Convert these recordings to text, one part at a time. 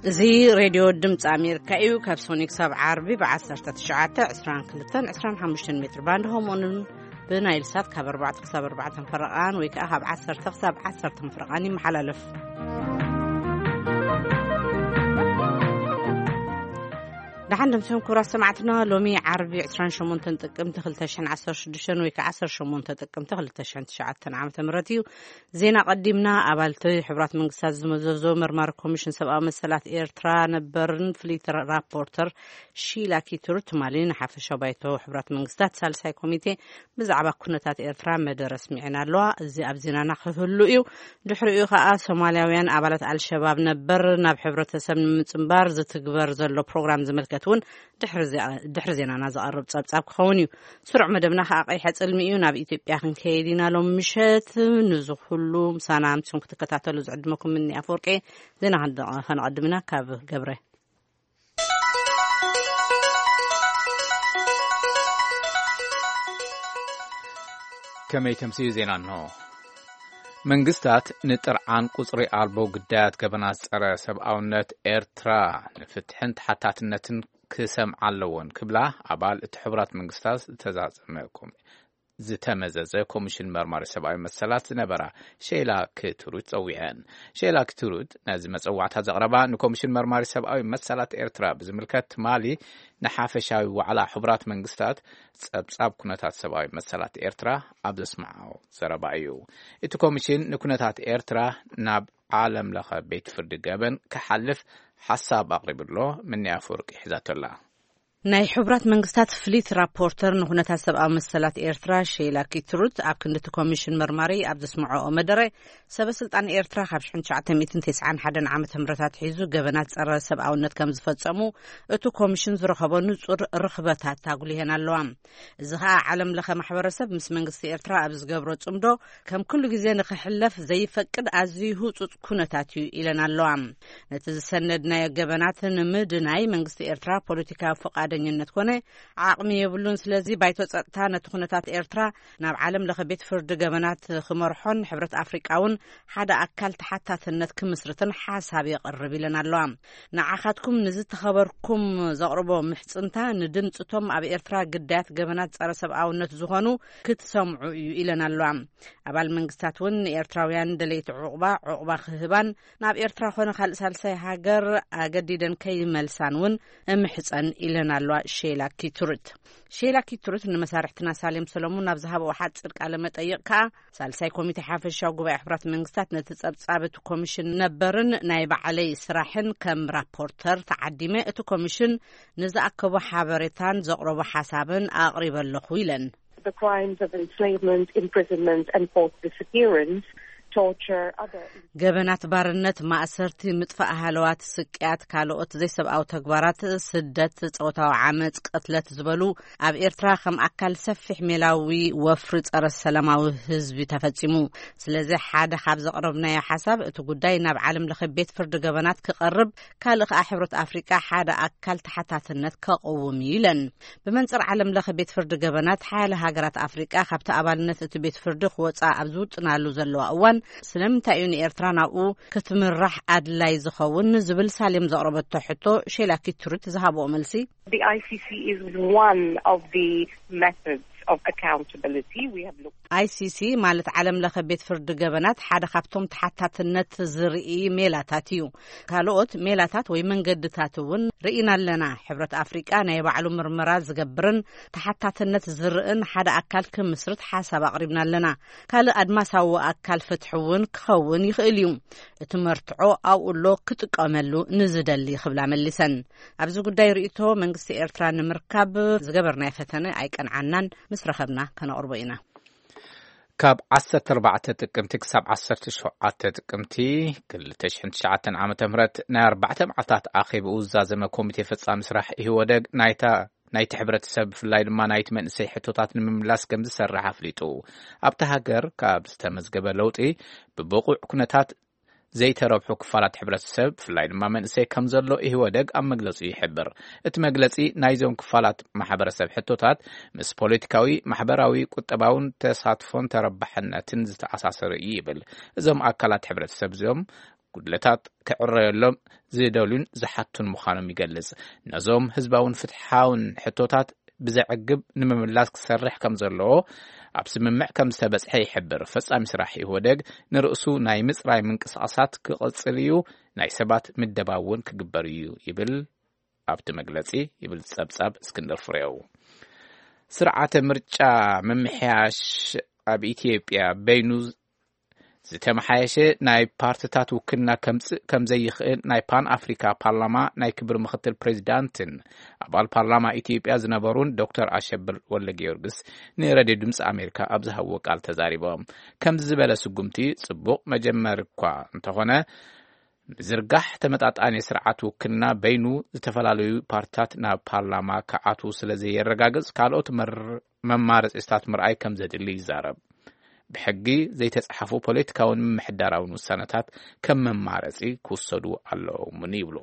እዚ ሬድዮ ድምፂ ኣሜሪካ እዩ። ካብ ሶኒክ ሳብ ዓርቢ ብ1922 25 ሜትር ባንድ ሆሞንን ብናይል ሳት ካብ ኣርባዕተ ክሳብ ኣርባዕተ ፈረቓን ወይ ከዓ ካብ ዓሰርተ ክሳብ ዓሰርተ ፈረቓን ይመሓላለፍ። ደሓን ደምሲም ክቡራት ሰማዕትና፣ ሎሚ ዓርቢ 28 ጥቅምቲ 2016 ወይ ከዓ 18 ጥቅምቲ 2009 ዓመተ ምህረት እዩ። ዜና ቀዲምና። ኣባልቲ ሕቡራት መንግስታት ዝመዘዞ መርማሪ ኮሚሽን ሰብኣዊ መሰላት ኤርትራ ነበርን ፍሊት ራፖርተር ሺላ ኪቱር ትማሊ ንሓፈሻ ባይቶ ሕቡራት መንግስታት ሳልሳይ ኮሚቴ ብዛዕባ ኩነታት ኤርትራ መደረ ኣስሚዐን ኣለዋ። እዚ ኣብ ዜናና ክህሉ እዩ። ድሕሪኡ ከዓ ሶማልያውያን ኣባላት ኣልሸባብ ነበር ናብ ሕብረተሰብ ንምጽንባር ዝትግበር ዘሎ ፕሮግራም ዝምልከት እውን ድሕሪ ዜ-፣ ድሕሪ ዜናና ዝቐርብ ጸብጻብ ክኸውን እዩ። ስሩዕ መደብና ከዓ ቀይሐ ጽልሚ እዩ። ናብ ኢትዮጵያ ክንከይድ ኢና ሎም ምሸት። ንዚ ኩሉ ምሳና ኣምሲኹም ክትከታተሉ ዝዕድመኩም ምኒ ኣፈወርቂ። ዜና ከንደ-፣ ከነቐድም ኢና ካብ ገብረ። ከመይ ተምስዩ ዜና እንሆ። መንግስታት ንጥርዓን ቁጽሪ ኣልቦ ግዳያት ገበናት ጸረ ሰብኣውነት ኤርትራ ንፍትሕን ተሓታትነትን ክሰምዓ ኣለዎን ክብላ ኣባል እቲ ሕቡራት መንግስታት ዝተዛዘመ ኮሚ-፣ ዝተመዘዘ ኮሚሽን መርማሪ ሰብኣዊ መሰላት ዝነበራ ሼላ ክትሩት ጸዊዐን። ሼላ ክትሩት ነዚ መጸዋዕታ ዘቕረባ ንኮሚሽን መርማሪ ሰብኣዊ መሰላት ኤርትራ ብዝምልከት ትማሊ ንሓፈሻዊ ዋዕላ ሕቡራት መንግስታት ጸብጻብ ኩነታት ሰብኣዊ መሰላት ኤርትራ ኣብ ዘስምዓኦ ዘረባ እዩ። እቲ ኮሚሽን ንኩነታት ኤርትራ ናብ ዓለም ለኸ ቤት ፍርዲ ገበን ክሓልፍ ሓሳብ ኣቕሪቡ ኣሎ። ምንያ ኣፈወርቂ ሒዛቶ ኣላ። ናይ ሕቡራት መንግስታት ፍሊት ራፖርተር ንኩነታት ሰብኣዊ መሰላት ኤርትራ ሼላ ኪትሩት ኣብ ክንዲ እቲ ኮሚሽን መርማሪ ኣብ ዘስምዖኦ መደረ፣ ሰበ ስልጣን ኤርትራ ካብ 1991 ዓመተ ምህረት ኣትሒዙ ገበናት ጸረ ሰብኣውነት ከም ዝፈጸሙ እቲ ኮሚሽን ዝረኸቦ ንጹር ርኽበታት ኣጉሊሀን ኣለዋ። እዚ ኸኣ ዓለም ለኸ ማሕበረሰብ ምስ መንግስቲ ኤርትራ ኣብ ዝገብሮ ጽምዶ ከም ኩሉ ግዜ ንኽሕለፍ ዘይፈቅድ ኣዝዩ ህጹጽ ኩነታት እዩ ኢለን ኣለዋ። ነቲ ዝሰነድናዮ ገበናት ንምድናይ መንግስቲ ኤርትራ ፖለቲካዊ ፈቃደኝነት ኮነ ዓቕሚ የብሉን። ስለዚ ባይቶ ጸጥታ ነቲ ኩነታት ኤርትራ ናብ ዓለም ለኸ ቤት ፍርዲ ገበናት ክመርሖን ሕብረት ኣፍሪቃ እውን ሓደ ኣካል ተሓታትነት ክምስርትን ሓሳብ የቕርብ ኢለን ኣለዋ። ንዓኻትኩም ንዝተኸበርኩም ዘቕርቦ ምሕጽንታ ንድምጽቶም ኣብ ኤርትራ ግዳያት ገበናት ጸረ ሰብኣውነት ዝኾኑ ክትሰምዑ እዩ ኢለን ኣለዋ። ኣባል መንግስታት እውን ንኤርትራውያን ደለይቲ ዕቑባ፣ ዕቑባ ክህባን ናብ ኤርትራ ኮነ ካልእ ሳልሳይ ሃገር ኣገዲደን ከይመልሳን እውን እምሕጸን ኢለን ኣለዋ ሼላ ኪቱርት። ሼላ ኪቱርት ንመሳርሕትና ሳሌም ሰለሙን ኣብ ዝሃበኦ ሓጺር ቃለ መጠይቕ ከኣ ሳልሳይ ኮሚቴ ሓፈሻዊ ጉባኤ ሕቡራት መንግስታት ነቲ ጸብጻብ እቲ ኮሚሽን ነበርን ናይ ባዕለይ ስራሕን ከም ራፖርተር ተዓዲመ እቲ ኮሚሽን ንዝኣከቦ ሓበሬታን ዘቕረቦ ሓሳብን ኣቕሪበ ኣለኹ ኢለን። The crimes of enslavement, imprisonment, and forced disappearance, torture, other ገበናት ባርነት፣ ማእሰርቲ፣ ምጥፋእ ሃለዋት፣ ስቅያት፣ ካልኦት ዘይሰብኣዊ ተግባራት፣ ስደት፣ ጾታዊ ዓመጽ፣ ቅትለት ዝበሉ ኣብ ኤርትራ ከም ኣካል ሰፊሕ ሜላዊ ወፍሪ ጸረ ሰላማዊ ህዝቢ ተፈጺሙ። ስለዚ ሓደ ካብ ዘቕረብናዮ ሓሳብ እቲ ጉዳይ ናብ ዓለም ለኸ ቤት ፍርዲ ገበናት ክቐርብ፣ ካልእ ከኣ ሕብረት ኣፍሪቃ ሓደ ኣካል ተሓታትነት ከቕውም እዩ ኢለን። ብመንጽር ዓለም ለኸ ቤት ፍርዲ ገበናት ሓያለ ሃገራት ኣፍሪቃ ካብቲ ኣባልነት እቲ ቤት ፍርዲ ክወጻ ኣብ ዝውጥናሉ ዘለዋ እዋን ስለምንታይ እዩ ንኤርትራ ናብኡ ክትምራሕ ኣድላይ ዝኸውን ዝብል ሳሌም ዘቕረበቶ ሕቶ ሼላ ኪቱርት ዝሃብኦ መልሲ The I C C is one of the methods of accountability. We have looked I C C ማለት ዓለም ለኸ ቤት ፍርዲ ገበናት ሓደ ካብቶም ተሓታትነት ዝርኢ ሜላታት እዩ። ካልኦት ሜላታት ወይ መንገድታት እውን ርኢና ኣለና። ሕብረት ኣፍሪቃ ናይ ባዕሉ ምርመራ ዝገብርን ተሓታትነት ዝርእን ሓደ ኣካል ክምስርት ሓሳብ ኣቕሪብና ኣለና። ካልእ ኣድማሳዊ ኣካል ፍትሒ እውን ክኸውን ይኽእል እዩ። እቲ መርትዖ ኣብኡ ኣሎ፣ ክጥቀመሉ ንዝደሊ ክብላ መሊሰን። ኣብዚ ጉዳይ ርእይቶ መንግስቲ ኤርትራ ንምርካብ ዝገበርናዮ ፈተነ ኣይቀንዓናን። ምስ ረኸብና ከነቕርቦ ኢና። ካብ 14 ጥቅምቲ ክሳብ 17 ጥቅምቲ 2009 ዓመተ ምህረት ናይ ኣርባዕተ መዓልታት ኣኼብኡ ዝዛዘመ ኮሚቴ ፈጻሚ ስራሕ ኢህወደግ ናይታ ናይቲ ሕብረተሰብ ብፍላይ ድማ ናይቲ መንእሰይ ሕቶታት ንምምላስ ከም ዝሰርሕ ኣፍሊጡ። ኣብቲ ሃገር ካብ ዝተመዝገበ ለውጢ ብብቑዕ ኩነታት ዘይተረብሑ ክፋላት ሕብረተሰብ ብፍላይ ድማ መንእሰይ ከም ዘሎ ኢህወደግ ኣብ መግለጺ ይሕብር። እቲ መግለጺ ናይዞም ክፋላት ማሕበረሰብ ሕቶታት ምስ ፖለቲካዊ፣ ማሕበራዊ፣ ቁጠባውን ተሳትፎን ተረባሕነትን ዝተኣሳሰሩ እዩ ይብል። እዞም ኣካላት ሕብረተሰብ እዚኦም ጉድለታት ክዕረየሎም ዝደልዩን ዝሓቱን ምዃኖም ይገልጽ። ነዞም ህዝባውን ፍትሓውን ሕቶታት ብዘዕግብ ንምምላስ ክሰርሕ ከም ዘለዎ ኣብ ስምምዕ ከም ዝተበጽሐ ይሕብር። ፈጻሚ ስራሕ ኢህወደግ ንርእሱ ናይ ምጽራይ ምንቅስቓሳት ክቕጽል እዩ፣ ናይ ሰባት ምደባ እውን ክግበር እዩ ይብል ኣብቲ መግለጺ፣ ይብል ጸብጻብ እስክንድር ፍሬው። ስርዓተ ምርጫ ምምሕያሽ ኣብ ኢትዮጵያ በይኑ ዝተመሓየሸ ናይ ፓርትታት ውክልና ከምጽእ ከም ዘይኽእል ናይ ፓን ኣፍሪካ ፓርላማ ናይ ክብሪ ምኽትል ፕሬዚዳንትን ኣባል ፓርላማ ኢትዮጵያ ዝነበሩን ዶክተር ኣሸብር ወልደ ጊዮርጊስ ንሬድዮ ድምፂ ኣሜሪካ ኣብ ዝሃብዎ ቃል ተዛሪቦም። ከምዚ ዝበለ ስጉምቲ ጽቡቕ መጀመሪ እኳ እንተኾነ፣ ምዝርጋሕ ተመጣጣኒ ስርዓት ውክልና በይኑ ዝተፈላለዩ ፓርትታት ናብ ፓርላማ ክኣትዉ ስለ ዘየረጋግጽ፣ ካልኦት መር-፣ መማረጺታት ምርኣይ ከም ዘድሊ ይዛረብ። ብሕጊ ዘይተጻሓፉ ፖለቲካውን ምምሕዳራውን ውሳነታት ከም መማረጺ ክውሰዱ ኣለዎምን ይብሉ።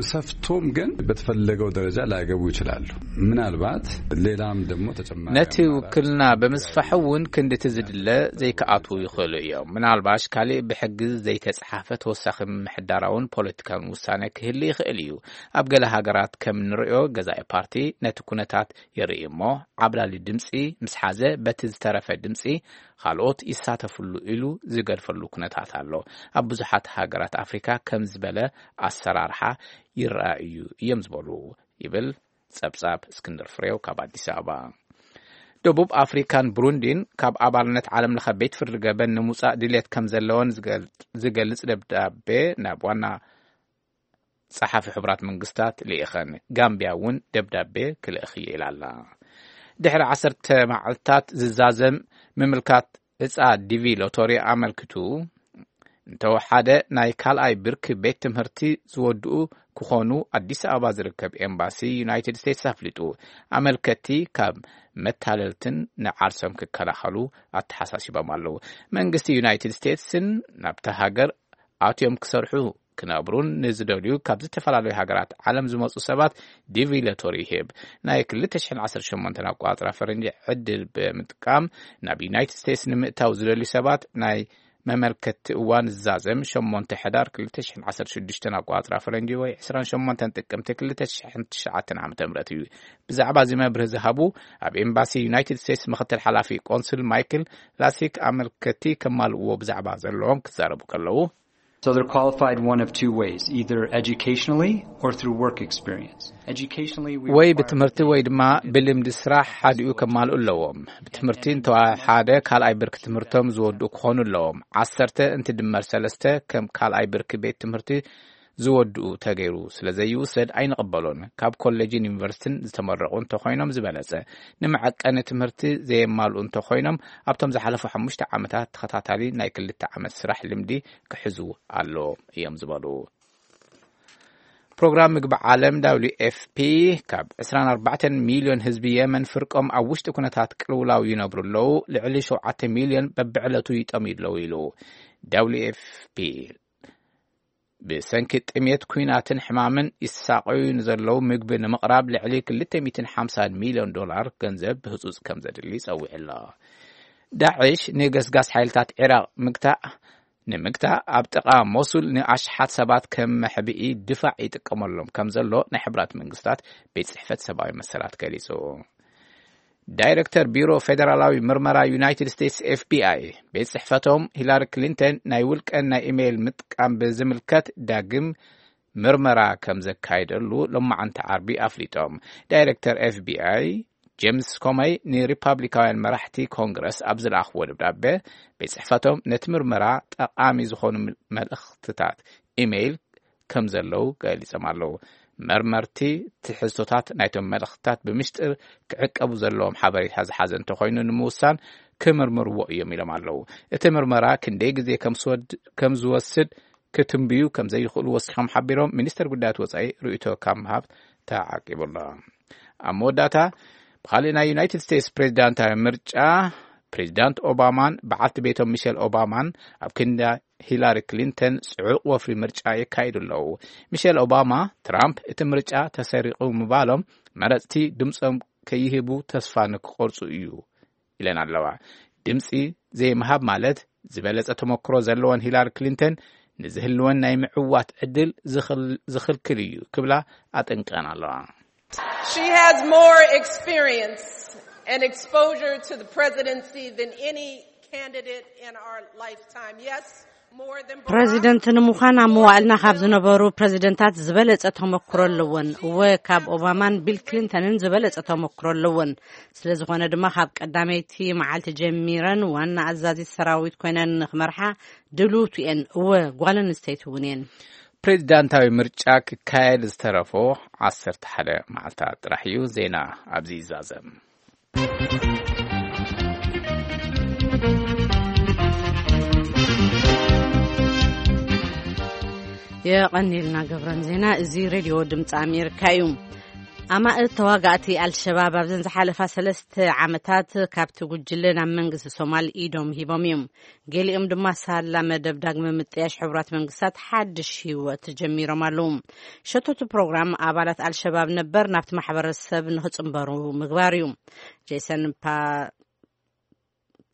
ሰፍቶም ግን በተፈለገው ደረጃ ላይገቡ ይችላሉ። ምናልባት ሌላም ደግሞ ተጨማሪ ነቲ አማራጭ ውክልና ብምስፋሕ እውን ክንድቲ ዝድለ ዘይከኣትዉ ይኽእሉ እዮም። ምናልባሽ ካሊእ ብሕጊ ዘይተጻሓፈ ተወሳኺ ምምሕዳራውን ፖለቲካውን ውሳነ ክህሊ ይኽእል እዩ። ኣብ ገለ ሃገራት ከም ንርእዮ ገዛኢ ፓርቲ ነቲ ኩነታት የርኢ እሞ ዓብላሊ ድምጺ ምስ ሓዘ በቲ ዝተረፈ ድምጺ ካልኦት ይሳተፍሉ ኢሉ ዝገድፈሉ ኩነታት ኣሎ። ኣብ ብዙሓት ሃገራት ኣፍሪካ ከም ዝበለ ኣሰራርሓ ይረኣ እዩ እዮም ዝበሉ ይብል ጸብጻብ እስክንድር ፍሬው ካብ ኣዲስ ኣበባ። ደቡብ ኣፍሪካን ብሩንዲን ካብ ኣባልነት ዓለም ለኸ ቤት ፍርዲ ገበን ንምውጻእ ድልየት ከም ዘለወን ዝገል-፣ ዝገልጽ ደብዳቤ ናብ ዋና ጸሓፊ ሕቡራት መንግስታት ልኢኸን። ጋምብያ እውን ደብዳቤ ክልእኽ እየ ኢላ ኣላ። ድሕሪ ዓሰርተ መዓልታት ዝዛዘም ምምልካት እጻ ዲቪ ሎቶሪ ኣመልክቱ እንተወሓደ ናይ ካልኣይ ብርኪ ቤት ትምህርቲ ዝወድኡ ክኾኑ ኣዲስ ኣበባ ዝርከብ ኤምባሲ ዩናይትድ ስቴትስ ኣፍሊጡ። ኣመልከቲ ካብ መታለልትን ንዓርሶም ክከላኸሉ ኣተሓሳሲቦም ኣለዉ። መንግስቲ ዩናይትድ ስቴትስን ናብታ ሃገር ኣትዮም ክሰርሑ ክነብሩን ንዝደልዩ ካብ ዝተፈላለዩ ሃገራት ዓለም ዝመጹ ሰባት ዲቪ ሎቶሪ ይህብ። ናይ ክልተ ሽሕን ዓሰርተ ሸሞንተን ኣቆጻጽራ ፈረንጂ ዕድል ብምጥቃም ናብ ዩናይትድ ስቴትስ ንምእታው ዝደልዩ ሰባት ናይ መመልከቲ እዋን ዝዛዘም ሸሞንተ ሕዳር ክልተ ሽሕን ዓሰርተ ሽዱሽተን ኣቆጻጽራ ፈረንጂ ወይ ዕስራን ሸሞንተን ጥቅምቲ ክልተ ሽሕን ትሽዓተን ዓመተ ምህረት እዩ። ብዛዕባ እዚ መብርሂ ዝሃቡ ኣብ ኤምባሲ ዩናይትድ ስቴትስ ምኽትል ሓላፊ ቆንስል ማይክል ላሲክ ኣመልከቲ ከማልእዎ ብዛዕባ ዘለዎም ክዛረቡ ከለዉ So they're qualified one of two ways, either educationally or through work experience. Educationally, we ወይ require ብትምህርቲ ወይ ድማ ብልምዲ ስራሕ ሓዲኡ ከማልኡ ኣለዎም። ብትምህርቲ እንተወሓደ ካልኣይ ብርኪ ትምህርቶም ዝወድኡ ክኾኑ ኣለዎም። ዓሰርተ እንትድመር ሰለስተ ከም ካልኣይ ብርኪ ቤት ትምህርቲ ዝወድኡ ተገይሩ ስለ ዘይውሰድ ኣይንቕበሎን። ካብ ኮሌጅን ዩኒቨርሲቲን ዝተመረቑ እንተኾይኖም ዝበለጸ፣ ንመዐቀኒ ትምህርቲ ዘየማልኡ እንተኾይኖም ኣብቶም ዝሓለፉ ሓሙሽተ ዓመታት ተኸታታሊ ናይ ክልተ ዓመት ስራሕ ልምዲ ክሕዙ ኣለዎም እዮም ዝበሉ። ፕሮግራም ምግቢ ዓለም ደብሊው ኤፍ ፒ ካብ ዕስራን ኣርባዕተን ሚልዮን ህዝቢ የመን ፍርቆም ኣብ ውሽጢ ኩነታት ቅልውላው ይነብሩ ኣለዉ፣ ልዕሊ ሸውዓተ ሚልዮን በብዕለቱ ይጠምዩ ኣለዉ ኢሉ። ደብሊው ኤፍ ፒ ብሰንኪ ጥሜት፣ ኲናትን ሕማምን ይሳቐዩ ንዘለዉ ምግቢ ንምቕራብ ልዕሊ ክልተ ሚእትን ሓምሳን ሚልዮን ዶላር ገንዘብ ብህጹጽ ከም ዘድሊ ጸዊዑ ኣሎ። ዳዕሽ ንገስጋስ ሓይልታት ዒራቕ ምግታእ፣ ንምግታእ ኣብ ጥቓ ሞሱል ንኣሽሓት ሰባት ከም መሕብኢ ድፋዕ ይጥቀመሎም ከም ዘሎ ናይ ሕቡራት መንግስታት ቤት ጽሕፈት ሰብኣዊ መሰላት ገሊጹ። ዳይሬክተር ቢሮ ፌደራላዊ ምርመራ ዩናይትድ ስቴትስ ኤፍ ቢ ኣይ፣ ቤት ጽሕፈቶም ሂላሪ ክሊንተን ናይ ውልቀን ናይ ኢሜይል ምጥቃም ብዝምልከት ዳግም ምርመራ ከም ዘካየደሉ ሎማዓንቲ ዓርቢ ኣፍሊጦም። ዳይሬክተር ኤፍ ቢ ኣይ ጄምስ ኮመይ ንሪፓብሊካውያን መራሕቲ ኮንግረስ ኣብ ዝለኣኽዎ ደብዳበ፣ ቤት ጽሕፈቶም ነቲ ምርመራ ጠቓሚ ዝኾኑ መልእኽትታት ኢሜይል ከም ዘለዉ ገሊጾም ኣለዉ። መርመርቲ ትሕዝቶታት ናይቶም መልእኽትታት ብምስጢር ክዕቀቡ ዘለዎም ሓበሬታ ዝሓዘ እንተኾይኑ ንምውሳን ክምርምርዎ እዮም ኢሎም ኣለዉ። እቲ ምርመራ ክንደይ ግዜ ከም ዝወድ-፣ ከም ዝወስድ ክትንብዩ ከም ዘይኽእሉ ወሲኾም ሓቢሮም፣ ሚኒስተር ጉዳያት ወጻኢ ርእይቶ ካብ ምሃብ ተዓቂቡ ኣሎ። ኣብ መወዳእታ፣ ብኻልእ ናይ ዩናይትድ ስቴትስ ፕሬዚዳንታዊ ምርጫ፣ ፕሬዚዳንት ኦባማን በዓልቲ ቤቶም ሚሸል ኦባማን ኣብ ክንዳ ሂላሪ ክሊንተን ጽዑቕ ወፍሪ ምርጫ የካይዱ ኣለዉ። ሚሸል ኦባማ፣ ትራምፕ እቲ ምርጫ ተሰሪቑ ምባሎም መረጽቲ ድምጾም ከይህቡ ተስፋ ንክቆርጹ እዩ ኢለን ኣለዋ። ድምጺ ዘይምሃብ ማለት ዝበለጸ ተመክሮ ዘለወን ሂላሪ ክሊንተን ንዝህልወን ናይ ምዕዋት ዕድል ዝኽል-፣ ዝኽልክል እዩ ክብላ ኣጠንቀን ኣለዋ። She has more experience and exposure to the presidency than any candidate in our lifetime. Yes, more than Barack. ፕረዚደንት ንምዃን ኣብ መዋእልና ካብ ዝነበሩ ፕረዚደንታት ዝበለጸ ተመክሮ ኣለወን። እወ፣ ካብ ኦባማን ቢል ክሊንተንን ዝበለጸ ተመክሮ ኣለወን። ስለ ዝኾነ ድማ ካብ ቀዳመይቲ መዓልቲ ጀሚረን ዋና ኣዛዚት ሰራዊት ኮይነን ንክመርሓ ድልውቲ እየን። እወ፣ ጓል ኣንስተይቲ እውን እየን። ፕሬዚዳንታዊ ምርጫ ክካየድ ዝተረፎ ዓሰርተ ሓደ መዓልታት ጥራሕ እዩ። ዜና ኣብዚ ይዛዘም። የቐኒልና ገብረን ዜና። እዚ ሬድዮ ድምፂ ኣሜሪካ እዩ። ኣማእት ተዋጋእቲ ኣልሸባብ ኣብዘን ዝሓለፋ ሰለስተ ዓመታት ካብቲ ጉጅለ ናብ መንግስቲ ሶማል ኢዶም ሂቦም እዮም። ገሊኦም ድማ ሳላ መደብ ዳግመ ምጥያሽ ሕቡራት መንግስታት ሓድሽ ህይወት ጀሚሮም ኣለዉ። ሸቶቱ ፕሮግራም ኣባላት ኣልሸባብ ነበር ናብቲ ማሕበረሰብ ንክጽንበሩ ምግባር እዩ። ጄሰን ፓ-፣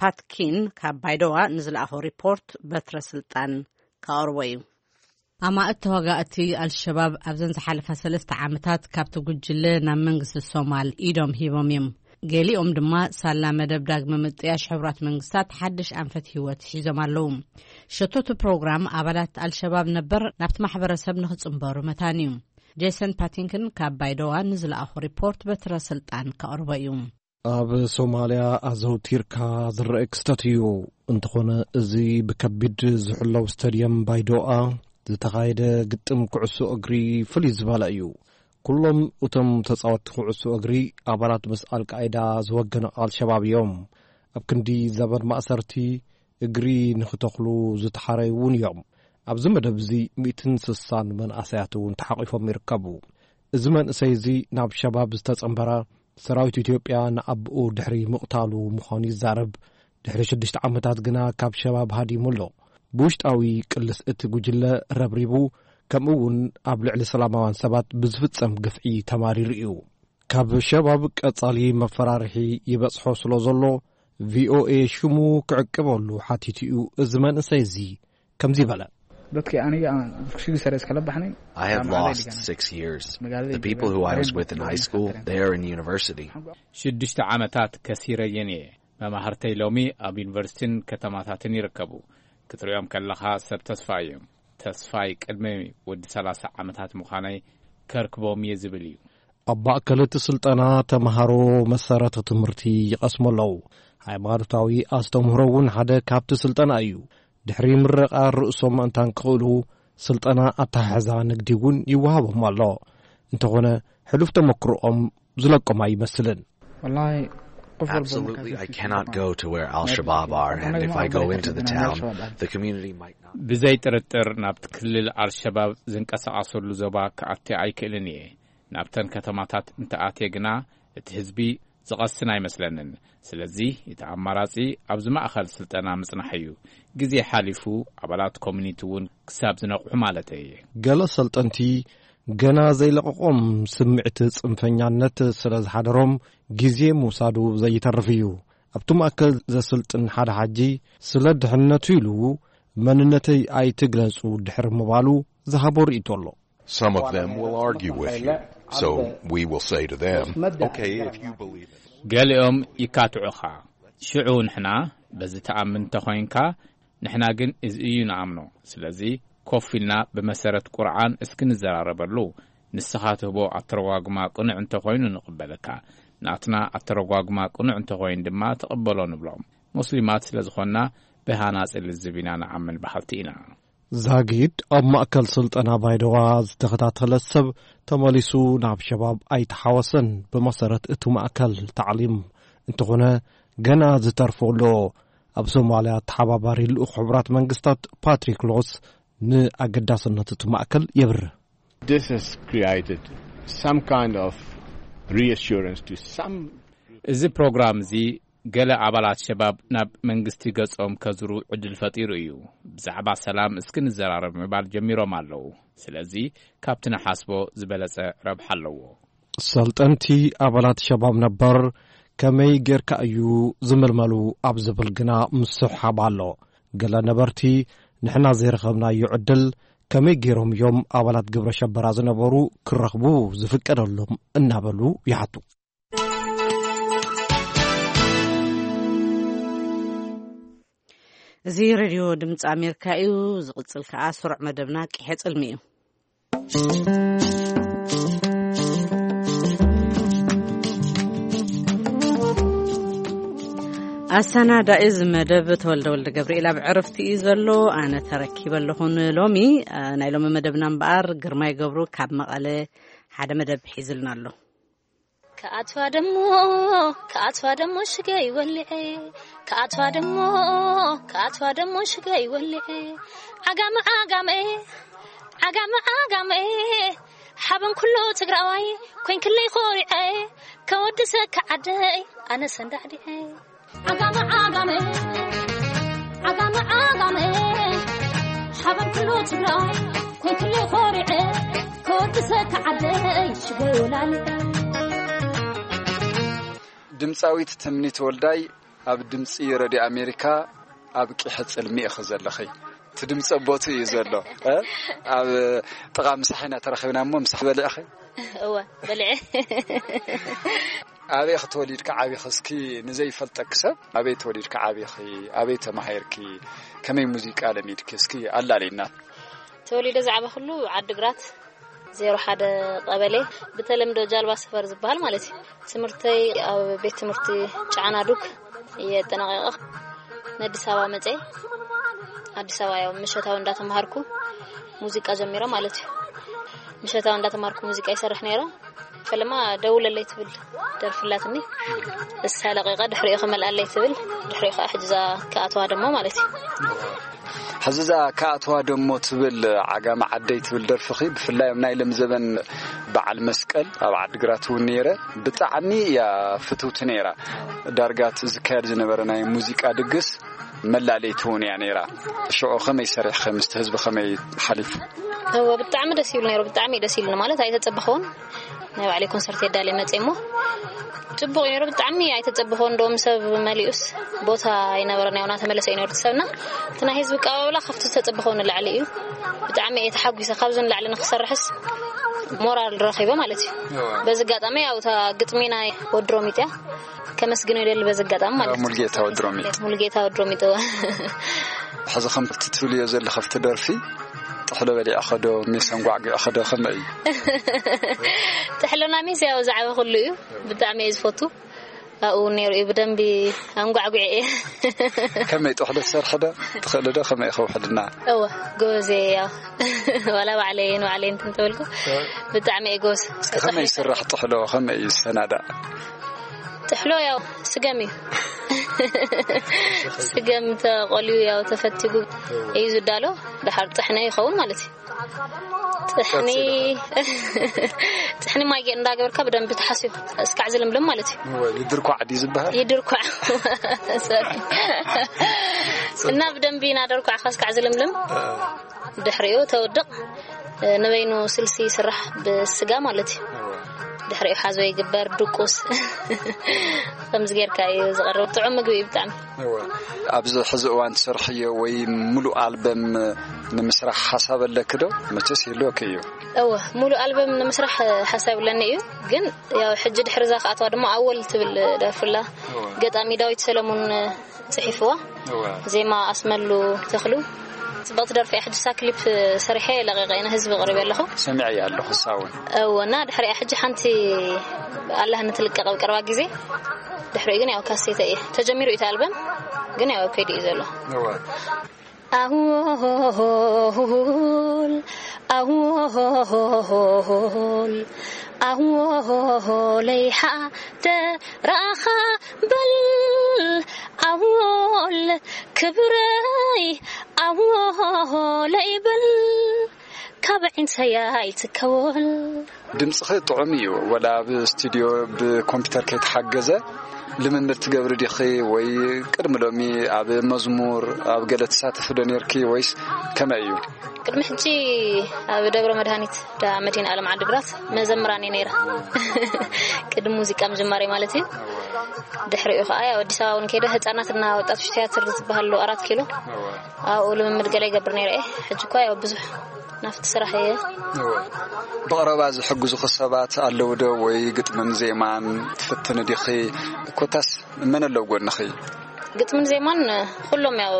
ፓትኪን ካብ ባይደዋ ንዝለኣኾ ሪፖርት በትረ ስልጣን ከቕርቦ እዩ። ኣማእት ተዋጋእቲ ኣልሸባብ ኣብዘን ዝሓለፋ ሰለስተ ዓመታት ካብቲ ጉጅለ ናብ መንግስቲ ሶማል ኢዶም ሂቦም እዮም። ገሊኦም ድማ ሳላ መደብ ዳግመ ምጥያሽ ሕቡራት መንግስታት ሓድሽ ኣንፈት ህይወት ሒዞም ኣለዉ። ሸቶቱ ፕሮግራም ኣባላት ኣልሸባብ ነበር ናብቲ ማሕበረሰብ ንክጽንበሩ መታን እዩ። ጄሰን ፓቲንክን ካብ ባይደዋ ንዝለኣኹ ሪፖርት በትረ ስልጣን ከቕርቦ እዩ። ኣብ ሶማልያ ኣዘውቲርካ ዝረአ ክስተት እዩ። እንተኾነ፣ እዚ ብከቢድ ዝሕለው ስታድየም ባይዶኣ ዝተኻየደ ግጥም ኩዕሶ እግሪ ፍልይ ዝበለ እዩ። ኩሎም እቶም ተጻወትቲ ኩዕሶ እግሪ ኣባላት ምስ ኣልቃይዳ ዝወገነ ኣልሸባብ እዮም። ኣብ ክንዲ ዘበን ማእሰርቲ እግሪ ንኽተኽሉ ዝተሓረዩ እውን እዮም። ኣብዚ መደብ እዚ ሚእትን ስሳን መንእሰያት እውን ተሓቒፎም ይርከቡ። እዚ መንእሰይ እዚ ናብ ሸባብ ዝተጸንበረ ሰራዊት ኢትዮጵያ ንኣቦኡ ድሕሪ ምቕታሉ ምዃኑ ይዛረብ። ድሕሪ ሽዱሽተ ዓመታት ግና ካብ ሸባብ ሃዲሙ ኣሎ። ብውሽጣዊ ቅልስ እቲ ጉጅለ ረብሪቡ፣ ከምኡ እውን ኣብ ልዕሊ ሰላማውያን ሰባት ብዝፍጸም ግፍዒ ተማሪሩ እዩ። ካብ ሸባብ ቀጻሊ መፈራርሒ ይበጽሖ ስለ ዘሎ፣ ቪኦኤ ሽሙ ክዕቅበሉ ሓቲቱ እዩ። እዚ መንእሰይ እዚ ከምዚ በለ። Dadkii aniga aan dugsiga sare iskala baxnay, I have jaamacadda lost dhiganay. Six years. Magaalada The people who I was with in high school, they are in university. ሽዱሽተ ዓመታት ከሲረየን እየ። መማህርተይ ሎሚ ኣብ ዩኒቨርሲቲን ከተማታትን ይርከቡ። ክትሪኦም ከለኻ ሰብ ተስፋ እዮም። ተስፋይ ቅድሚ ወዲ ሰላሳ ዓመታት ምዃነይ ከርክቦም እየ ዝብል እዩ። ኣብ ማእከል እቲ ስልጠና ተምሃሮ መሰረተ ትምህርቲ ይቐስሙ ኣለዉ። ሃይማኖታዊ ኣስተምህሮ እውን ሓደ ካብቲ ስልጠና እዩ። ድሕሪ ምረቓ ርእሶም ምእንታን ክኽእሉ ስልጠና ኣተሓሕዛ ንግዲ እውን ይወሃቦም ኣሎ። እንተኾነ ሕሉፍ ተመክሮኦም ዝለቆም ኣይመስልን። Wallahi, qof walba Absolutely, I cannot go to where Al Shabaab are, and if I go into the town, the community might not. ብዘይ ጥርጥር ናብቲ ክልል ኣልሸባብ ዝንቀሳቐሰሉ ዞባ ክኣቲ ኣይክእልን እየ። ናብተን ከተማታት እንተኣትየ ግና እቲ ህዝቢ ዝቐስን ኣይመስለንን። ስለዚ እቲ ኣማራጺ ኣብዚ ማእከል ስልጠና ምጽናሕ እዩ። ግዜ ሓሊፉ ኣባላት ኮሚኒቲ እውን ክሳብ ዝነቕሑ ማለተይ እየ። ገለ ሰልጠንቲ ገና ዘይለቐቖም ስምዒት ጽንፈኛነት ስለ ዝሓደሮም ግዜ ምውሳዱ ዘይተርፍ እዩ። ኣብቲ ማእከል ዘስልጥን ሓደ ሓጂ ስለ ድሕነቱ ኢሉ መንነተይ ኣይትግለጹ ድሕሪ ምባሉ ዝሃቦ ርእይቶ ኣሎ። Some of them will argue with you, so we will say to them, "Okay, if you believe it." ገሊኦም ይካትዑኻ። ሽዑ ንሕና በዚ ትኣምን እንተኾይንካ፣ ንሕና ግን እዚ እዩ ንኣምኖ። ስለዚ ኮፍ ኢልና ብመሰረት ቁርዓን እስኪ ንዘራረበሉ። ንስኻ ትህቦ ኣተረጓጉማ ቅኑዕ እንተኾይኑ ንቕበለካ። ናትና ኣተረጓጉማ ቅኑዕ እንተኾይኑ ድማ ትቕበሎ ንብሎም። ሙስሊማት ስለ ዝኾንና ብሃናጺ ልዝብ ኢና ንኣምን በሃልቲ ኢና። ዛጊድ ኣብ ማእከል ስልጠና ባይደዋ ዝተኸታተለ ሰብ ተመሊሱ ናብ ሸባብ ኣይተሓወሰን። ብመሰረት እቲ ማእከል ታዕሊም እንተኾነ ገና ዝተርፎ ኣሎ። ኣብ ሶማልያ ተሓባባሪ ልኡኽ ሕቡራት መንግስታት ፓትሪክ ሎስ ንኣገዳስነት እቲ ማእከል የብርህ። This has created some kind of reassurance to some እዚ ፕሮግራም እዚ ገለ ኣባላት ሸባብ ናብ መንግስቲ ገጾም ከዝሩ ዕድል ፈጢሩ እዩ። ብዛዕባ ሰላም እስኪ ንዘራረብ ምባል ጀሚሮም ኣለዉ። ስለዚ ካብቲ ንሓስቦ ዝበለጸ ረብሓ ኣለዎ። ሰልጠንቲ ኣባላት ሸባብ ነበር ከመይ ጌርካ እዩ ዝምልመሉ ኣብ ዝብል ግና ምስሕሓብ ኣሎ። ገለ ነበርቲ ንሕና ዘይረኸብናዮ ዕድል ከመይ ገይሮም እዮም ኣባላት ግብረ ሸበራ ዝነበሩ ክረኽቡ ዝፍቀደሎም እናበሉ ይሓቱ። እዚ ሬድዮ ድምፂ ኣሜሪካ እዩ። ዝቕፅል ከዓ ስሩዕ መደብና ቅሐ ፅልሚ እዩ። ኣሰናዳኢ እዚ መደብ ተወልደ ወልደ ገብርኤል ኣብ ዕረፍቲ እዩ ዘሎ። ኣነ ተረኪበ ኣለኹ ንሎሚ። እ፣ ናይ ሎሚ መደብና እምበኣር ግርማይ ገብሩ ካብ መቐለ ሓደ መደብ ሒዝልና ኣሎ። ከኣትዋ ደሞ፣ ከኣትዋ ደሞ ሽገይ ወልዐ፣ ከኣትዋ ደሞ፣ ከኣትዋ ደሞ ሽገይ ወልዐ። ዓጋመ ዓጋመ፣ ዓጋመ ዓጋመ፣ ሓበን ኩሉ ትግራዋይ፣ ኮይንክለይ ኮሪዐ፣ ከወድሰካ ዓደይ፣ ኣነ ሰንዳዕዲዐ። ዓጋመ ዓጋመ፣ ዓጋመ ዓጋመ፣ ሓበን ኩሉ ትግራይ፣ ኮይንክለይ ኮሪዐ፣ ከወድሰካ ዓደይ፣ ሽገይ ወላሊዐ። ድምፃዊት ትምኒት ወልዳይ ኣብ ድምፂ ረድዮ ኣሜሪካ ኣብ ቂሐ ፅልሚ ኢኺ ዘለኺ። እቲ ድምፂ ኣቦቱ እዩ ዘሎ። እ? ኣብ ጥቓ ምሳሕ ኢና ተራኺብና እሞ ምሳሕ በሊዕኺ? እወ፣ በሊዐ። ኣበይ ኢኺ ተወሊድካ ዓቢኺ? እስኪ ንዘይፈልጠኪ ሰብ ኣበይ ተወሊድካ ዓቢኺ? ኣበይ ተማሂርኪ? ከመይ ሙዚቃ ለሚድኪ? እስኪ ኣላልይና። ተወሊደ ዝዓበኹሉ ዓዲግራት ዜሮ ሓደ ቀበሌ፣ ብተለምዶ ጃልባ ሰፈር ዝበሃል ማለት እዩ። ትምህርተይ ኣብ ቤት ትምህርቲ ጫና ዱክ እየ ኣጠናቒቐ። ንኣዲስ ኣበባ መፀ። ኣዲስ ኣበባ ያው ምሸታዊ እንዳተምሃርኩ ሙዚቃ ጀሚረ ማለት እዩ። ምሸታዊ እንዳተምሃርኩ ሙዚቃ ይሰርሕ ነይረ። ፈለማ ደውለለይ ትብል ደርፊ ኣላትኒ። እሳ ለቂቐ ድሕሪኡ ክመልኣለይ ትብል። ድሕሪኡ ከዓ ሕጂ እዛ ክኣትዋ ደሞ ማለት እዩ። ሕዚ እዛ ክኣትዋ ደሞ ትብል ዓጋመ ዓደይ ትብል ደርፍኺ ብፍላይ ኣብ ናይ ሎም ዘበን በዓል መስቀል ኣብ ዓድግራት እውን ነይረ። ብጣዕሚ እያ ፍትውቲ ነይራ። ዳርጋ እቲ ዝካየድ ዝነበረ ናይ ሙዚቃ ድግስ መላለይቲ እውን እያ ነይራ። ሽዑ ከመይ ሰሪሕኺ? ምስቲ ህዝቢ ከመይ ሓሊፉ? እወ፣ ብጣዕሚ ደስ ይብል ነይሩ። ብጣዕሚ እዩ ደስ ይብልኒ። ማለት ኣይተጸበኽዎን። ናይ ባዕለይ ኮንሰርት የዳልየ መጽየ እሞ ጽቡቕ እዩ ነይሩ። ብጣዕሚ ኣይተጸበኽዎን። እንደውም ሰብ መሊኡስ ቦታ ኣይነበረን። ያው እናተመለሰ እዩ ነይሩ እቲ ሰብና። እቲ ናይ ህዝቢ ኣቀባብላ ካብቲ ዝተጸበኽዎ ንላዕሊ እዩ። ብጣዕሚ እየ ተሓጒሰ። ካብዚ ንላዕሊ ንክሰርሕስ ሞራል ረኺበ ማለት እዩ። እወ። በዚ ኣጋጣሚ ያው እታ ግጥሚ ናይ ወዲ ሮሚጥ እያ። ከመስግኖ ይደሊ በዚ ኣጋጣሚ ማለት እዩ። ሙልጌታ ወዲ ሮሚጥ። ሙልጌታ ወዲ ሮሚጥ፣ እወ። ሕዚ ከምቲ ትብልዮ ዘለኺ ኣብቲ ደርፊ ጥሕሎ በሊዕኺ ዶ፣ ሜስ ኣንጓዕጒዕኺ ዶ፣ ከመይ እዩ? ጥሕሎና ሜስ ያው ዝዓበኹሉ እዩ። ብጣዕሚ እየ ዝፈቱ። ኣብኡ ነይሩ እዩ ብደንቢ ኣንጓዕጒዐ እየ። ከመይ ጥሕሎ ትሰርሒ ዶ? ትኽእሊ ዶ? ከመይ ኢኺ ውሕልና? እወ፣ ጎበዝ እየ ያው። ዋላ ባዕለይ ንባዕለይ እንትን ተበልኩ፣ እወ። ብጣዕሚ እየ ጎበዝ። እስከ ከመይ ይስራሕ ጥሕሎ? ከመይ እዩ ዝሰናዳእ? ጥሕሎ ያው ስገም እዩ። ስገም ተቆልዩ ያው ተፈቲጉ እዩ ዝዳሎ። ድሓር ጥሕነ ይኸውን ማለት እዩ። ጥሕኒ፣ ጥሕኒ ማይ እንዳገበርካ ብደንብ ተሓስዩ እስካዕ ዝልምልም ማለት እዩ። እወ፣ ይድርኳዕ ድዩ ዝበሃል? ይድርኳዕ። ሶሪ። እና ብደንቢ እናደርኳዕካ እስካዕ ዝልምልም። እ። ድሕሪኡ ተውድቕ፣ እ፣ ንበይኑ ስልሲ ይስራሕ ብስጋ ማለት እዩ። እወ። ድሕሪኡ ሓዞ ይግበር፣ ድቁስ። ከምዚ ጌርካ እዩ ዝቐርብ። ጥዑም ምግቢ እዩ ብጣዕሚ። እወ። ኣብዚ ሕዚ እዋን ትሰርሕዮ ወይ ሙሉእ ኣልበም ንምስራሕ ሓሳብ ኣለኪ ዶ? መቸስ ይህልወኪ እዩ። እወ፣ ሙሉእ ኣልበም ንምስራሕ ሓሳብ ኣለኒ እዩ። ግን ያው ሕጂ ድሕሪ እዛ ክኣትዋ ድማ ኣወል ትብል ደርፍላ። እወ። ገጣሚ ዳዊት ሰለሙን ጽሒፍዋ። እወ። ዜማ ኣስመሉ ተኽሉ። ጽብቕቲ ደርፊ እያ። ሕጂ እሳ ክሊፕ ሰሪሐ ለቒቐ ንህዝቢ ኣቕሪበ ኣለኹ። ሰሚዐያ ኣለኹ እሳ እውን። እወ፣ እና ድሕሪኣ ሕጂ ሓንቲ ኣላ ንትልቀቕ ኣብ ቀረባ ግዜ። ድሕሪኡ ግን ያው ካሴተ እየ። ተጀሚሩ እዩ እቲ ኣልበም፣ ግን ያው ኣብ ከይዲ እዩ ዘሎ። እወ። ኣወል፣ ኣወል፣ ኣወለይ ሓደራኻ በል፣ ኣወል ክብረይ፣ ኣወለይ በል፣ ካብ ዒንሰይ ኣይትከወል። ድምፅኺ ጥዑም እዩ፣ ወላ ኣብ ስቱድዮ ብኮምፒውተር ከይተሓገዘ ልምምድ ትገብሪ ዲኺ? ወይ ቅድሚ ሎሚ ኣብ መዝሙር ኣብ ገለ ትሳተፊ ዶ ኔርኪ ወይስ ከመይ እዩ? ቅድሚ ሕጂ ኣብ ደብረ መድሃኒት ዳ መዲና ዓለም ዓዲግራት መዘምራን እየ ነይረ። ቅድሚ ሙዚቃ ምጅማረይ ማለት እዩ። ድሕሪኡ ከዓ ያው ኣዲስ ኣበባ እውን ከይደ ህፃናትና ወጣቶች ቲያትር ዝበሃል ኣሎ ኣራት ኪሎ፣ ኣብኡ ልምምድ ገለ ይገብር ነይረ እየ። ሕጂ እኳ ያው ብዙሕ ናፍቲ ስራሕ እየ። ብቐረባ ዝሕግዙኺ ሰባት ኣለዉ ዶ? ወይ ግጥምን ዜማን ትፍትኒ ዲኺ? ኮታስ መን ኣለዉ ጎንኺ? ግጥምን ዜማን ኩሎም ያው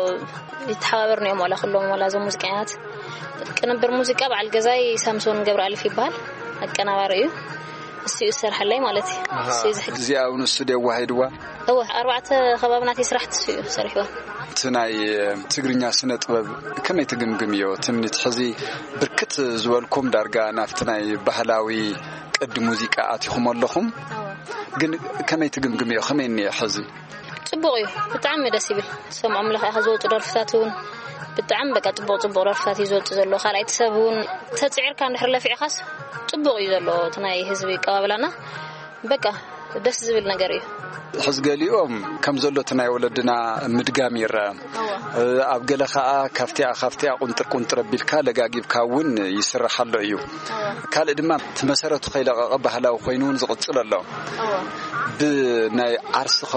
ይተሓባበሩ እዮም። ዋላ ኩሎም ዋላ እዞም ሙዚቀኛታት፣ ቅንብር ሙዚቃ በዓል ገዛይ ሳምሶን ገብረኣልፍ ይበሃል፣ ኣቀናባሪ እዩ። እሱ እዩ ዝሰርሐለይ ማለት እዩ። እሱ እዩ ዝሕግ- እዚኣ እውን እሱ ድዩ ኣዋሂድዋ? እወ፣ ኣርባዕተ ከባቢ ናተይ ስራሕቲ እሱ እዩ ሰሪሕዋ። እቲ ናይ ትግርኛ ስነ ጥበብ ከመይ ትግምግምዮ? ትምኒት ሕዚ ብርክት ዝበልኩም ዳርጋ ናብቲ ናይ ባህላዊ ቅዲ ሙዚቃ ኣቲኹም ኣለኹም። ግን ከመይ ትግምግምዮ? ከመይ እኒኦ ሕዚ? ጽቡቕ እዩ፣ ብጣዕሚ ደስ ይብል። ሰምዖም ለኻ ዝወጡ ደርፍታት እውን ብጣዕሚ በቃ ጽቡቕ ጽቡቕ ደርፍታት እዩ ዝወጡ ዘሎ። ካልኣይቲ ሰብ እውን ተጽዒርካ እንድሕር ለፊዕካስ ጽቡቕ እዩ ዘሎ እቲ ናይ ህዝቢ ኣቀባብላና። በቃ ደስ ዝብል ነገር እዩ። ሕዚ ገሊኦም ከም ዘሎ እቲ ናይ ወለድና ምድጋም ይረአ። ኣብ ገለ ኸኣ ካብቲኣ ካብቲኣ ቁንጥር ቁንጥር ኣቢልካ ለጋጊብካ እውን ይስራሕ ኣሎ እዩ። ካልእ ድማ እቲ መሰረቱ ከይለቐቐ ባህላዊ ኮይኑ እውን ዝቕጽል ኣሎ። ብናይ ዓርስኻ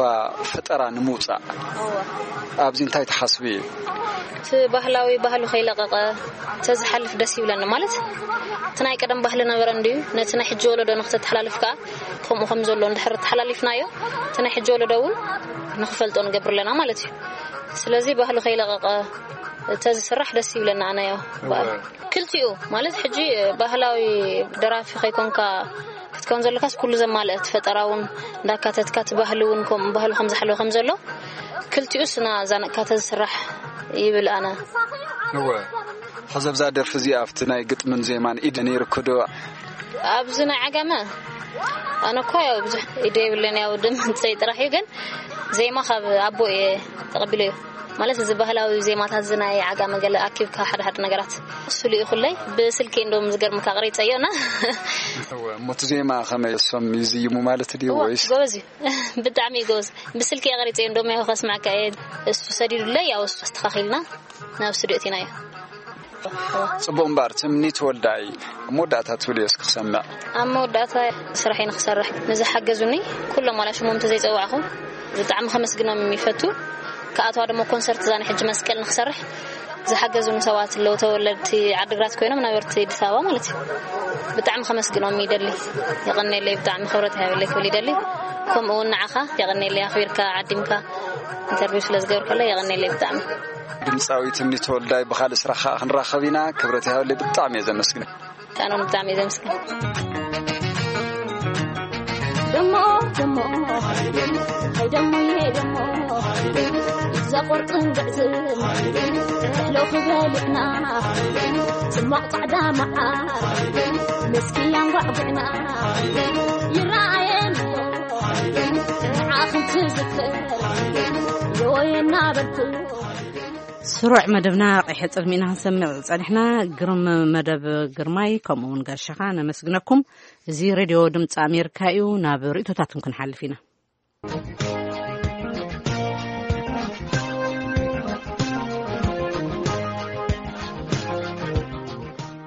ፈጠራ ንምውጻእ ኣብዚ እንታይ ትሓስቢ? እቲ ባህላዊ ባህሉ ከይለቐቐ ተዝሓልፍ ደስ ይብለኒ። ማለት እቲ ናይ ቀደም ባህሊ ነበረ እንድዩ፣ ነቲ ናይ ሕጂ ወለዶ ንክተተሓላልፍ ከኣ ከምኡ ከም ዘሎ እንድሕር ተሓላሊፍናዮ፣ እቲ ናይ ሕጂ ወለዶ እውን ንክፈልጦ ንገብር ኣለና ማለት እዩ። ስለዚ ባህሉ ከይለቐቐ ተዝስራሕ ደስ ይብለና። ኣነ ያው ክልቲኡ ማለት ሕጂ ባህላዊ ደራፊ ከይኮንካ ክትከውን ዘለካስ ኩሉ ዘማልአ እቲ ፈጠራ እውን እንዳካተትካ እቲ ባህሊ እውን ከም ባህሉ ከም ዝሓለወ ከም ዘሎ ክልቲኡ ስና ዛነቅካ ተዝስራሕ ይብል ኣነ። እወ። ሕዚ ኣብዛ ደርፊ እዚኣ ኣብቲ ናይ ግጥምን ዜማን ኢድ ነይርኩ ዶ? ኣብዚ ናይ ዓጋመ ኣነ እኮ ያው ብዙሕ ኢደ የብለን፣ ያው ድምፀይ ጥራሕ እዩ። ግን ዜማ ካብ ኣቦ እየ ተቐቢለዮ። ማለት እዚ ባህላዊ ዜማታት እዚ ናይ ዓጋመ ገለ ኣኪብካ ሓደ ሓደ ነገራት እሱ ልኢኹለይ ብስልኪ፣ እንደውም ዝገርምካ ቀሪጸዮና። እወ፣ እሞ እቲ ዜማ ከመይ እሶም ይዝይሙ ማለት ድዩ እወ፣ ወይስ? ጎበዝ እዩ። ብጣዕሚ እዩ ጎበዝ። ብስልኪ እየ ቀሪጸዮ፣ እንደውም ያው ከስምዓካ እየ። እሱ ሰዲዱለይ፣ ያው እሱ ኣስተኻኺልና ናብ ስቱዲዮ እቲናዮ። ጽቡቕ እምበር፣ ትምኒት ወልዳይ፣ ኣብ መወዳእታ ትብልዮ እስኪ ክሰምዕ። ኣብ መወዳእታ ስራሐይ ንክሰርሕ ንዝሓገዙኒ ኩሎም፣ ዋላ ሽሞም እንተዘይጸዋዕኹ፣ ብጣዕሚ ከመስግኖም ይፈቱ። ክኣትዋ ድማ ኮንሰርት ዛን ሕጂ መስቀል ንክሰርሕ ዝሓገዙኒ ሰባት ኣለዉ፣ ተወለድቲ ዓድግራት ኮይኖም ነበርቲ ኣዲስ ኣበባ ማለት እዩ። ብጣዕሚ ከመስግኖም ይደሊ። የቐንየለይ፣ ብጣዕሚ ክብረት ይሃበለይ ክብል ይደሊ። ከምኡ እውን ንዓኻ የቐንየለይ፣ ኣኽቢርካ ዓዲምካ ኢንተርቪው ስለ ዝገበርካለይ የቐንየለይ ብጣዕሚ። ድምፃዊ ትምኒት ተወልዳይ ብኻልእ ስራሕ ከዓ ክንራኸብ ኢና። ክብረት ይሃበለይ፣ ብጣዕሚ እየ ዘመስግን። ኣነ እውን ብጣዕሚ እየ ዘመስግን። ደሞ ደሞ ኣይደሞየ ደሞ ዘቆርጥን ግዕዝም እሕሎ ክበልዕና ጽማቕ ጻዕዳ መዓር መስኪ ኣንጓዕጒዕና ይረኣየን ኣሎ ንዓኽን ትዝክር የወየ እናበልኩ። ስሩዕ መደብና ቀይሕ ጽልሚ ኢና ክንሰምዕ ጸኒሕና። ግርም መደብ ግርማይ፣ ከምኡ እውን ጋሻኻ ነመስግነኩም። እዚ ሬድዮ ድምፂ ኣሜሪካ እዩ። ናብ ርእቶታትኩም ክንሓልፍ ኢና።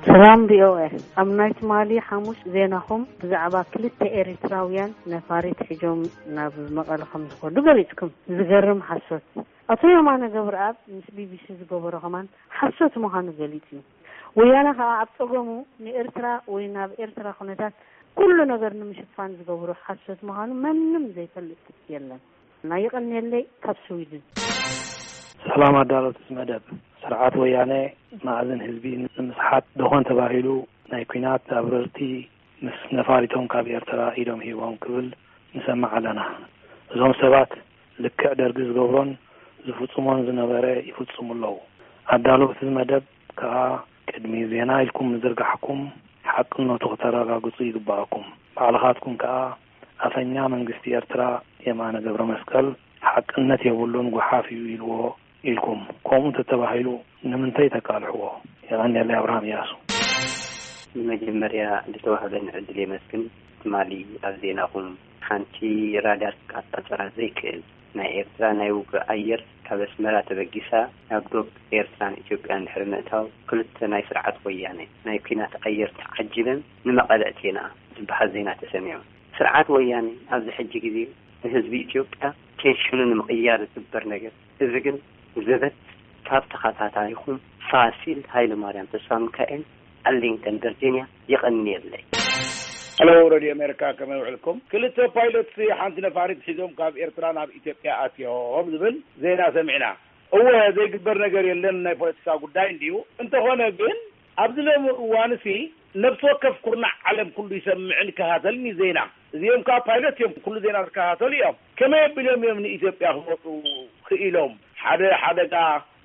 ሰላም ቪኦኤ፣ ኣብ ናይ ትማሊ ሓሙስ ዜናኹም ብዛዕባ ክልተ ኤሪትራውያን ነፋሪት ሒዞም ናብ መቐለ ከም ዝኸዱ ገሊጽኩም። ዝገርም ሓሶት። ኣቶ የማነ ገብረኣብ ምስ ቢቢሲ ዝገበሮ ከማን ሓሶት ምዃኑ ገሊጹ እዩ። ወያነ ከኣ ኣብ ጸገሙ ንኤርትራ ወይ ናብ ኤርትራ ኩነታት ኩሉ ነገር ንምሽፋን ዝገብሮ ሓሶት ምዃኑ ማንም ዘይፈልጥ የለን። እና የቐንየለይ ካብ ስዊድን። ሰላም ኣዳለውቲ እዚ መደብ። ስርዓት ወያነ መኣዝን ህዝቢ ንምስሓት ደኾን ተባሂሉ ናይ ኲናት ኣብረርቲ ምስ ነፋሪቶም ካብ ኤርትራ ኢዶም ሂቦም ክብል ንሰምዕ ኣለና። እዞም ሰባት ልክዕ ደርጊ ዝገብሮን ዝፍጽሞን ዝነበረ ይፍጽሙ ኣለዉ። ኣዳለውቲ እዚ መደብ ከኣ ቅድሚ ዜና ኢልኩም ምዝርጋሕኩም ሓቅነቱ ክተረጋግጹ ይግበኣኩም። ባዕልኻትኩም ከኣ ኣፈኛ መንግስቲ ኤርትራ የማነ ገብረመስቀል ሓቅነት የብሉን፣ ጓሓፍ እዩ ኢልዎ ኢልኩም ከምኡ እንተተባሂሉ ንምንታይ ተቃልሕዎ? የቐንየለይ። ኣብርሃም እያሱ። ንመጀመርያ ዝተዋህበኒ ዕድል የመስግን። ትማሊ ኣብ ዜናኹም ሓንቲ ራዳር ክቃጻጸራ ዘይክእል ናይ ኤርትራ ናይ ውግእ ኣየር ካብ ኣስመራ ተበጊሳ ናብ ዶብ ኤርትራን ኢትዮጵያን ድሕሪ ምእታው ክልተ ናይ ስርዓት ወያነ ናይ ኲናት ኣየር ተዓጂበን ንመቐለ እትየንኣ ዝበሃል ዜና ተሰሚዑ። ስርዓት ወያነ ኣብዚ ሕጂ ግዜ ንህዝቢ ኢትዮጵያ ቴንሽኑ ንምቕያር ዝግበር ነገር፣ እዚ ግን ዘበት ካብ ተኸታታይኹም ፋሲል ሃይለ ማርያም ተስፋ ሚካኤል፣ ኣርሊንግተን ቨርጂኒያ። የቐንየለይ። ሄሎ፣ ሬድዮ ኣሜሪካ፣ ከመይ ውዕልኩም? ክልተ ፓይለት ሓንቲ ነፋሪት ሒዞም ካብ ኤርትራ ናብ ኢትዮጵያ ኣትዮም ዝብል ዜና ሰሚዕና። እወ፣ ዘይግበር ነገር የለን፣ ናይ ፖለቲካ ጉዳይ እንድዩ። እንተኾነ ግን ኣብዚ ሎሚ እዋንሲ ነፍሲ ወከፍ ኩርናዕ ዓለም ኩሉ ይሰምዕን ይከታተልን እዩ ዜና። እዚኦም ከዓ ፓይለት እዮም፣ ኩሉ ዜና ዝከታተሉ እዮም። ከመይ ኣቢሎም እዮም ንኢትዮጵያ ክመፁ ክኢሎም? ሓደ ሓደጋ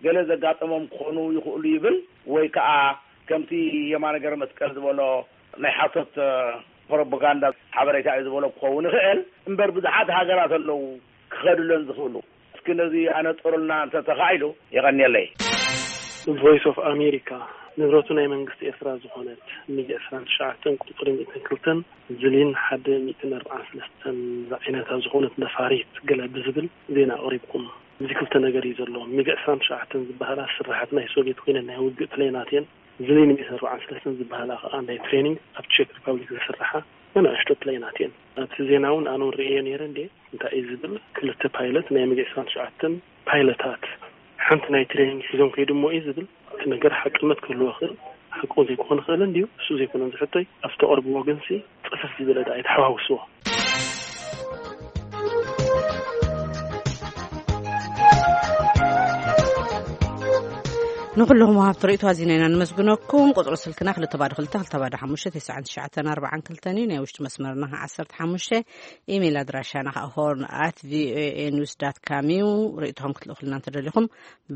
ገለ ዘጋጠሞም ክኾኑ ይኽእሉ ይብል፣ ወይ ከዓ ከምቲ የማነ ገረ መስቀል ዝበሎ ናይ ሓሶት ፕሮፓጋንዳ ሓበሬታ እዩ ዝበሎ ክኸውን ይኽእል እምበር፣ ብዙሓት ሃገራት ኣለዉ ክኸዱለን ዝኽእሉ። እስኪ ነዚ ኣነጽሩልና እንተ ተኻኢሉ። የቐንየለይ። ቮይስ ኦፍ ኣሜሪካ። ንብረቱ ናይ መንግስቲ ኤርትራ ዝኾነት ሚግ ዕስራን ትሽዓተን ቁጽሪ ሚእትን ክልተን ዝሊን ሓደ ሚእትን ኣርባዓን ሰለስተን ዝዓይነታ ዝኾነት ነፋሪት ገለ ብዝብል ዜና ኣቕሪብኩም። እዚ ክልተ ነገር እዩ ዘሎ። ሚግ ዕስራን ትሽዓተን ዝበሃላ ስራሓት ናይ ሶቪየት ኮይነን ናይ ውግእ ፕሌናት እየን። ዝሊን ሚእትን ኣርባዓን ሰለስተን ዝበሃላ ከዓ ናይ ትሬኒንግ ኣብ ቼክ ሪፐብሊክ ዝስርሓ ንኣሽቱ ፕሌናት እየን። ኣብቲ ዜና እውን ኣነ እውን ርእየ ነይረ እንዴ። እንታይ እዩ ዝብል? ክልተ ፓይለት ናይ ሚግ ዕስራን ትሽዓተን ፓይለታት ሓንቲ ናይ ትሬኒንግ ሒዞም ከይዱ እሞ እዩ ዝብል። እቲ ነገር ሓቅነት ክህልዎ ይኽእል፣ ሓቂ እውን ዘይክኾን ይኽእል እንድዩ። እሱ ዘይኮነን ዝሕቶይ፣ ኣብቲ ተቕርብዎ ግንሲ ጽፍፍ ዝበለ ደኣ ኣይተሓዋውስዎ። ንኹልኹም ወሃብቲ ርእይቶ ኣዚና ኢና ነመስግነኩም። ቁጽሪ ስልክና ክልተ ባዶ ክልተ ክልተ ባዶ ሓሙሽተ ተስዓን ትሽዓተን ኣርባዓን ክልተን እዩ። ናይ ውሽጢ መስመርና ዓሰርተ ሓሙሽተ፣ ኢሜይል ኣድራሻና ከዓ ሆርን ኣት ቪኦኤ ኒውስ ዳት ካም እዩ። ርእይቶኹም ክትልእኹልና እንተደሊኹም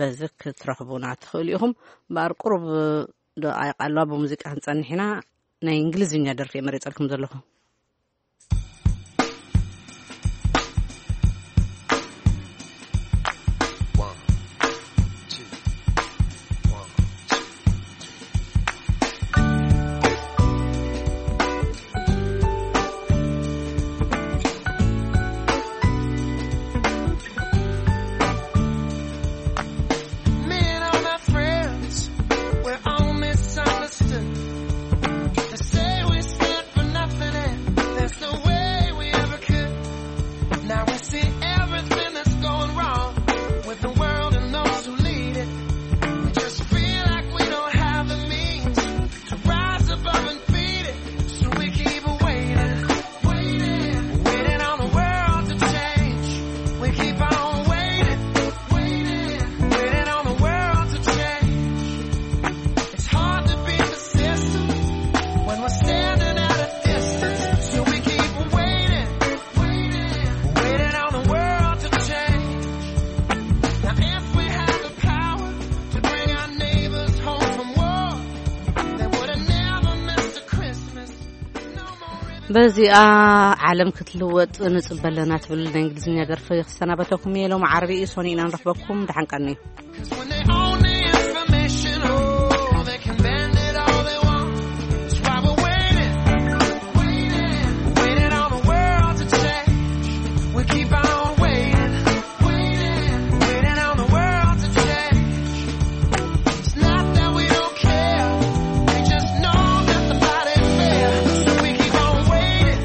በዚ ክትረኽቡና ትኽእሉ ኢኹም። እምበኣር ቁሩብ ደቓይቕ ኣለዋ፣ ብሙዚቃ ክንጸንሕ ኢና። ናይ እንግሊዝኛ ደርፊ እየ መሪጸልኩም ዘለኹ። Me and all my friends, we're all misunderstood. They say we stand for nothing, and there's no way we ever could. Now we see everything that's going wrong with the world and those who lead it. We just feel like we don't have the means to rise above and beat it. So we keep waiting, waiting, waiting on the world to change. We keep on waiting, waiting, waiting on the world to change. It's hard to be persistent when we're standing at a distance. So we keep waiting, waiting, waiting on the world to change. Now if we had the power to bring our neighbors home from war, they would have never missed a Christmas. No more. በዚኣ ዓለም ክትልወጥ ንጽበ ኣለና ትብል ናይ እንግሊዝኛ ደርፊ ክሰናበተኩም እየ። ሎም ዓርቢ እዩ፣ ሶኒ ኢና ንረኽበኩም። ደሓን ቀኒ። 'Cause when they own the information, oh, they can bend it all they want. That's why we're waiting, waiting, waiting on the world to change. We keep on waiting, waiting, waiting on the world to change. It's not that we don't care, we just know that the fight ain't fair. So we keep on waiting,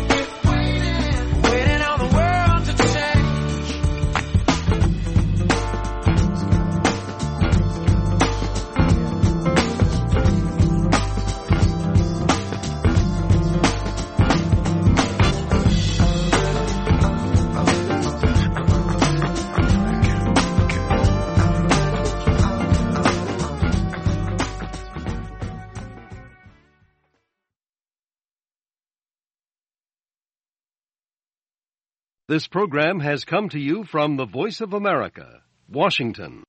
waiting, waiting on the world to change. This program has come to you from the Voice of America, Washington.